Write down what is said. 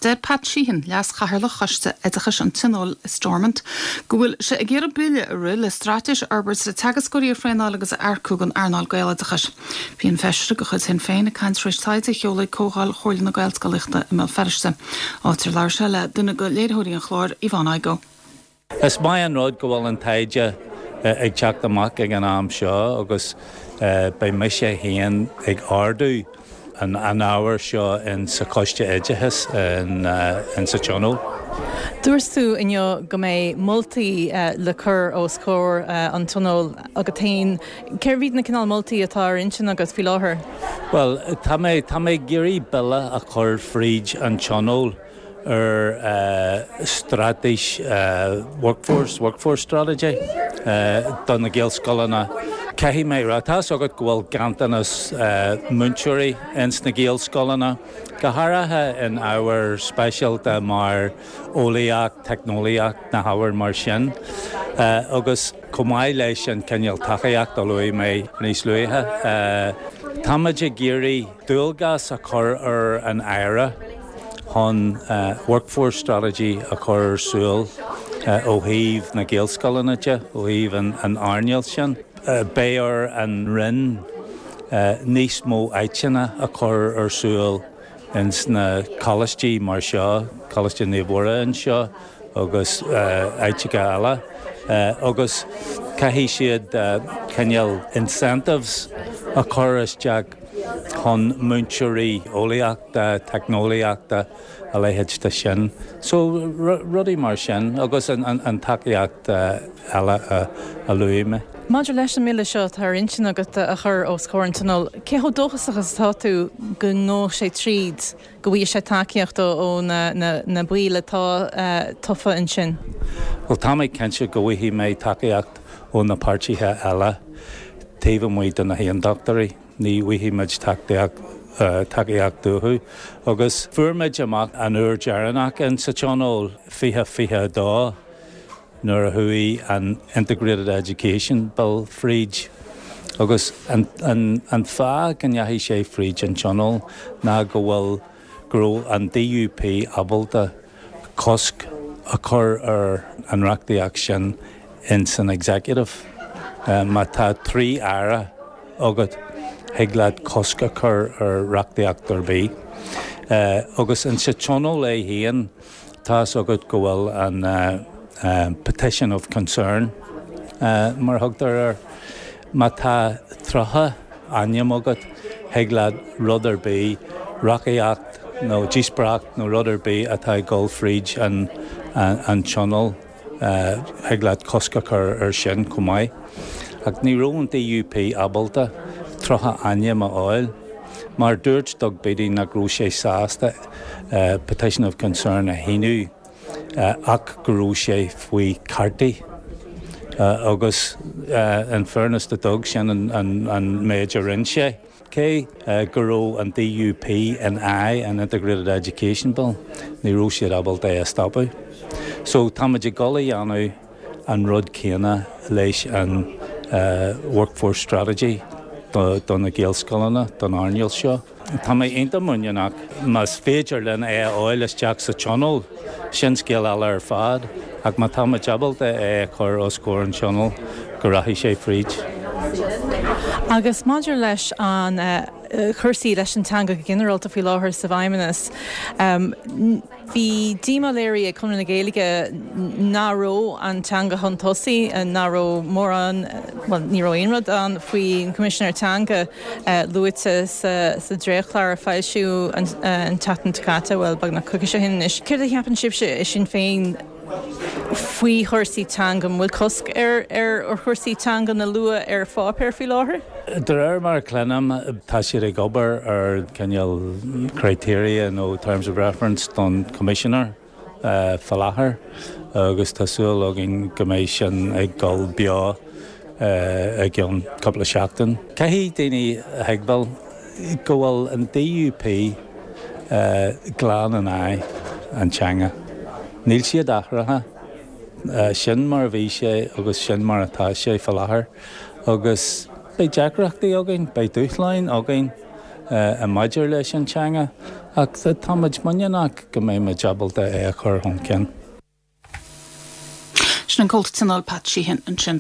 Deir Pat Sheehan, Leas-Chathaoirleach Choiste Oideachais an Tionóil i Stormont, go bhfuil sé ag iarraidh bille a rith le straitéis a fhorbairt le teagascóirí a thraenáil agus a earcú don earnáil Gaeloideachais. Bhí an Feisire de chuid Shinn Féin ag caint tar éis taighde a sheoladh ag Comhdháil Chomhairle na Gaelscolaíochta i mBéal Feirste, áit ar labhair sé le duine de léiritheoirí an chláir, Yvonne Igoe. Is maith an rud go bhfuil an taighde ag teacht amach ag an am seo agus beidh mise féin ag ardú an ábhair seo in sa Choiste Oideachais in sa Tionól. Dúirt tú inniu go mbeidh moltaí le cur os comhair an Tionóil agat féin. Cérbh iad na cineál moltaí atá ar intinn agat faoi láthair? Bhuel, tá mé, tá mé ag iarraidh bille a chur fríd an Tionól. ar straitéis workforce, workforce strategy, do na Gaelscoileanna. Caithfidh mé a rá, tá 'fhios agat go bhfuil ganntanas múinteoirí ins na Gaelscoileanna, go háirithe in ábhair speisialta mar eolaíocht, teicneolaíocht, na hábhair mar sin. Agus chomh maith leis an cineál tacaíocht a luaigh mé níos luaithe, táimid ag iarraidh dualgas a chur ar an Aire, chun workforce strategy a chur ar siúl ó thaobh na Gaelscoileanna de, ó thaobh an earnáil sin. Beidh ar an Roinn níos mó áiteanna a chur ar siúl ins na coláistí mar seo, Coláiste Naomh Mhuire anseo agus áiteacha eile, agus caithfidh siad cineál incentives a chur isteach chun múinteoirí eolaíochta, teicneolaíochta, a leithéid de sin. So, rudaí mar sin agus an tacaíocht eile a luaigh mé. Maidir leis an mbille seo atá ar intinn agat a chur os comhair an Tionóil, cé chomh dóchasach is atá tú go ngabhfaidh sé tríd, go bhfaighidh sé tacaíocht ó na baill atá tofa ansin? Bhuel, tá mé cinnte go bhfaighidh mé tacaíocht ó na páirtithe eile taobh amuigh de na hAontachtóirí. Ní bhfaighidh muid tacaíocht uathu. Agus fuair muid amach an uair deireanach in sa Tionól 2022 nuair a chuaigh an Integrated Education Bill fríd. Agus an fáth go ndeachaigh sé fríd an Tionól ná go bhfuil go raibh an DUP ábalta cosc a chur ar an reachtaíocht sin in san Executive. Má tá 3 Aire agat, thig leat cosc a chur ar reachtaíocht ar bith. Agus in sa Tionól é féin, tá's agat go bhfuil an Petition of Concern, mar a thugtar air. Má tá 30 ainm agat, thig leat rud ar bith, reachtaíocht nó díospóireacht nó rud ar bith atá ag dul fríd an Tionól, thig leat cosc a chur air sin chomh maith. Ach ní raibh an DUP ábalta 30 ainm a fháil mar dúirt Doug Beattie nach raibh sé sásta Petition of Concern a shíniú ach go raibh sé faoi Carty agus in fairness to Doug sin an méid a rinne sé. Cé go raibh an DUP in aghaidh an Integrated Education Bill, ní raibh siad ábalta é a stopadh. So táimid ag dul a dhéanamh an rud céanna leis an Workforce Strategy do na Gaelscoileanna, don earnáil seo. Tá mé iontach muiníneach. Más féidir linn é a fháil isteach sa Tionól, sin scéal eile ar fad, ach má tá muid ábalta é a chur os comhair an Tionóil, go rachaidh sé fríd. Agus maidir leis an chúrsaí leis an teanga go ginearálta faoi láthair sa bhFeidhmeannas, Bhí díomá léirithe ag Conradh na Gaeilge nach raibh an teanga chun tosaigh, nach raibh mórán, bhuel, ní raibh aon rud ann faoin Choimisinéir Teanga luaite sa dréachtchlár a foilsíodh an tseachtain seo caite, bhuel, beagnach coicís ó shin anois. Céard a cheapann sibhse i Sinn Féin faoi chúrsaí teanga? An bhfuil cosc ar chúrsaí teanga a lua ar pháipéar faoi láthair? De réir mar a chluinim, tá siad ag obair ar cineál criteria nó terms of reference don Choimisinéir fá láthair agus tá súil againn go mbeidh sin ag dul beo i gceann cúpla seachtain. Caithfidh daoine a thuigbheáil go bhfuil an DUP glan in aghaidh an teanga. Níl siad athraithe. Sin mar a bhí sé agus sin mar atá sé fá láthair. Agus beidh deacrachtaí againn, beidh dúshláin againn. maidir leis an teanga ach tá muid muiníneach go mbeidh muid ábalta é a chur chun cinn. Sin an Comhalta Tionóil Pat Sheehan ansin.